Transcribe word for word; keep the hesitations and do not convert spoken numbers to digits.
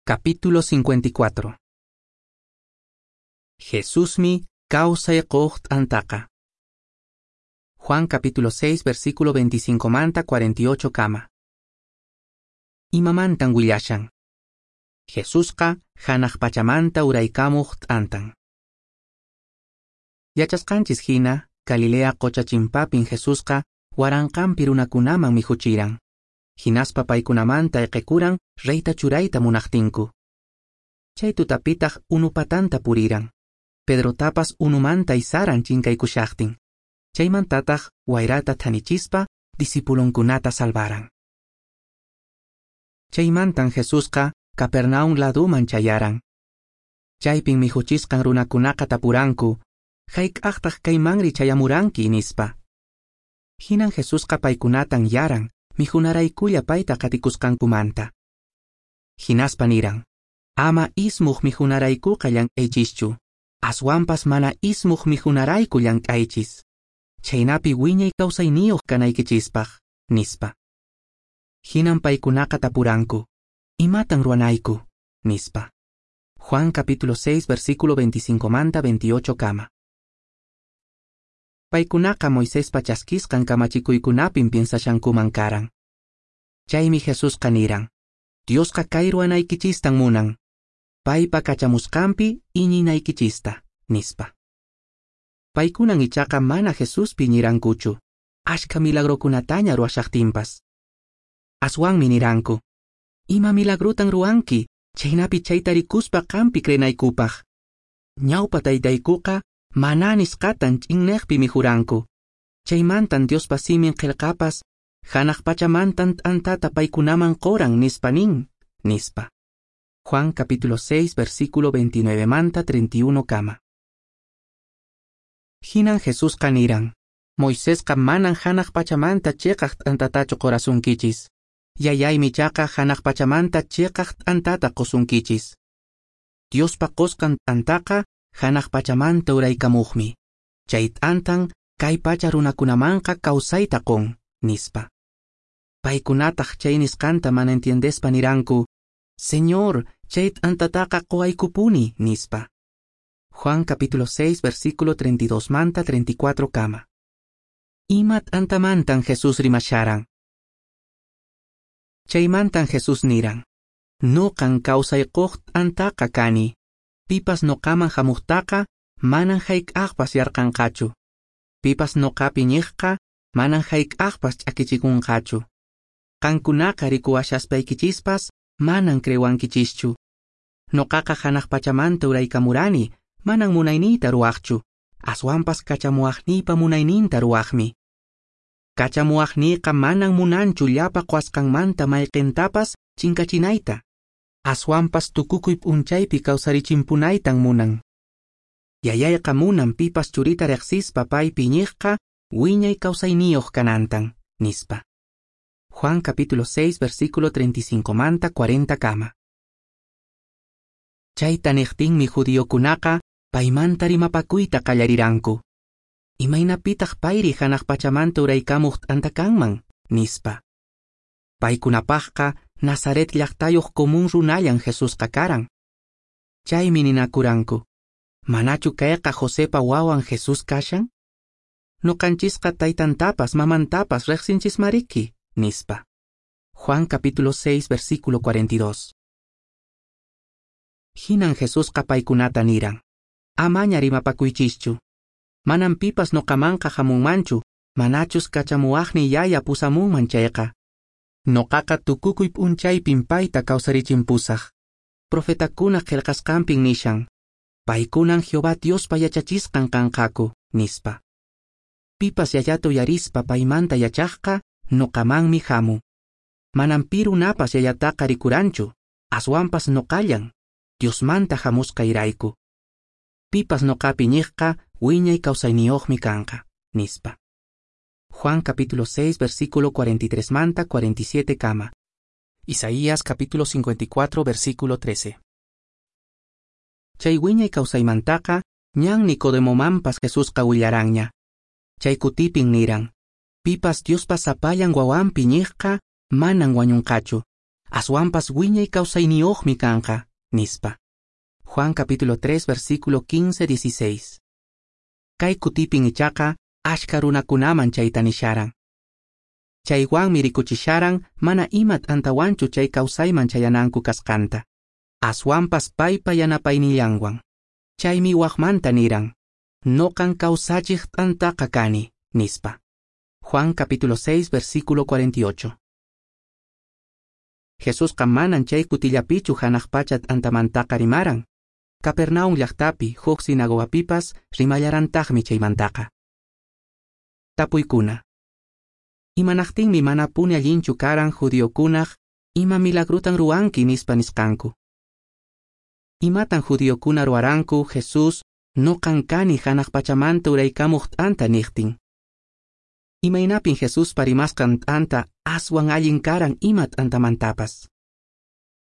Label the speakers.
Speaker 1: Capítulo cincuenta y cuatro. Jesusmi kawsay quq t'antaqa. Juan capítulo seis versículo veinticinco manta cuarenta y ocho kama. Imamantan willashan. Jesusqa hanaq pachamanta uraykamuq t'antan. Yachasqanchis hina, Galilea qocha chimpapin Jesusqa waranqanpi runakunaman mikhuchiran. Hinaspa paykunamanta ayqikuran reyta churayta munaqtinku. Chay tutapitaq unupatanta puriran. Pedrotapas unumanta isaran chinkaykushaqtin. Chaymantataq wayrata thanichispa discipulonkunata salvaran. Chaymantan Jesusqa Capernaum laduman chayaran. Chaypin mikhuchisqan runakunaqa tapuranku, hayk'aqtaq kaymanri chayamuranki nispa. Hinan Jesusqa paykunatan yaran, mikhunaraykulla payta qatikusqankumanta. Hinaspa niran, ama ismuq mikhunaraykuqa llank'aychischu, aswanpas mana ismuq mikhunarayku llank'aychis. Chaynapi wiñay kawsayniyuq kanaykichispaq, nispa. Hinan paykunaqa tapuranku, imatan ruwanayku, nispa. Juan capítulo seis versículo veinticinco manta veintiocho kama. Paykunaqa Moisespa chaskisqan kamachikuykunapin piensashankuman karan. Chaymi Jesusqa niran, Diosqa kay ruwanaykichistan munan, paypa kachamusqanpi iñinaykichista, nispa. Paykunan ichaqa mana Jesuspi iñirankuchu, ashka milagrokunataña ruwashaqtinpas. Aswanmi niranku, ima milagrutan ruwanki, chaynapi chayta rikuspa qanpi creenaykupaq. Ñawpa taytaykuqa maná nisqatan ch'inneqpi mikhuranku. Chaymantan Diospa simin qillqapas, hanaq pachamantan t'antata paykunaman qoran nispa nin, nispa. Juan capítulo seis versículo veintinueve manta treinta y uno kama. Hinan Jesusqa niran, Moisesqa manan hanaq pachamanta chiqaq t'antatachu qorasunkichis. Yayaymi ichaqa hanaq pachamanta chiqaq t'antata qosunkichis. Diospa qosqan t'antaqa hanaq pachamanta uraykamuqmi. Chay t'antan kay pacha runakunamanqa kawsayta qon, nispa. Paykunataq chay nisqanta mana entiendespa niranku, Señor, chay t'antataqa qowaykupuni, nispa. Juan capítulo seis versículo treinta y dos manta treinta y cuatro kama. Ima t'antamantan Jesús rimasharan. Chaymantan Jesús niran, Nuqan kawsay quq t'antaqa kani. Pipas noqaman hamuqtaqa manan hayk'aqpas yarqanqachu. Pipas noqapi ñiqqa manan hayk'aqpas ch'akichikunqachu. Qankunaqa rikuwashaspayKichispas manan creewankichischu. Noqaqa hanaq pachamanta uraykamurani, manan munayniyta ruwaqchu, aswanpas kachamuwaqniypa munayninta ruwaqmi. Kachamuwaqniyqa manan munanchu llapa qwasqanmanta mayqintapas chinkachinayta. Aswanpas tukukuy p'unchaypi kawsarichimpunaytan munan. Yayayqa munan pipas churita riqsispa paypi iñiqqa wiñay kawsayniyuq kanantan, nispa. Juan capítulo seis versículo treinta y cinco manta cuarenta kama. Chayta niqtinmi judiokunaqa paymanta rimapakuyta qallariranku. Imaynapitaq payri hanaq pachamanta uraykamuq t'anta kanman, nispa. Paykunapaqqa Nazaret llaqtayuq común runallan Jesusqa karan. Chaymi ninakuranku, manachu kayqa Josepa wawan Jesús kashan? Nuqanchisqa taytantapas mamantapas riqsinchismariki, nispa. Juan capítulo seis versículo cuarenta y dos. Hinan Jesusqa paykunata niran, amaña rimapakuychischu. Manan pipas noqamanqa hamunmanchu, manachus kachamuwaqni yaya pusamunman chayqa. Noqaqa tukukuy p'unchaypin payta kawsarichimpusaq. Profetakuna qillqasqanpin nishan, paykunan Jehová Diospa yachachisqan kanqaku, nispa. Pipas yayata uyarispa paymanta yachaqqa, noqamanmi hamun. Manan pi runapas yayataqa rikuranchu, aswanpas noqallan, Diosmanta hamusqayrayku. Pipas noqapi ñiqqa wiñay kawsayniyuqmi kanqa, nispa. Juan capítulo seis versículo cuarenta y tres manta cuarenta y siete kama. Isaías capítulo cincuenta y cuatro versículo trece. Chay wiñay kawsaymantaqa ñan Nicodemomanpas Jesusqa willaranña. Chay kutipin niran, pipas Diospa sapallan wawanpi ñiqqa manan wañunqachu, Aswanpas wiñay kawsayniyuqmi kanqa, nispa. Juan capítulo tres versículo quince dieciséis. Kay kutipin ichaqa ashka runakunaman chayta nisharan. Chaywanmi rikuchisharan mana ima t'antawanchu chay kawsayman chayananku kasqanta. Aswanpas paypa yanapaynillanwan. Chaymi waqmanta niran, noqan kawsachiq t'antaqa kani, nispa. Juan capítulo seis versículo cuarenta y ocho. Jesusqa manan chay kutillapichu hanaq pacha t'antamantaqa rimaran. Capernaum llaqtapi huk sinagogapipas rimallarantaqmi chaymantaqa. Tapuykuna. Imanaqtinmi manapuni allinchu karan judiokunaq ima milagrutan ruwanki nispa nisqanku. Imatan judiokuna ruwaranku Jesús noqan kani hanaq pachamanta uraykamuq t'anta niqtin. Imaynapin Jesuspa rimasqan t'anta aswan allin karan ima t'antamantapas.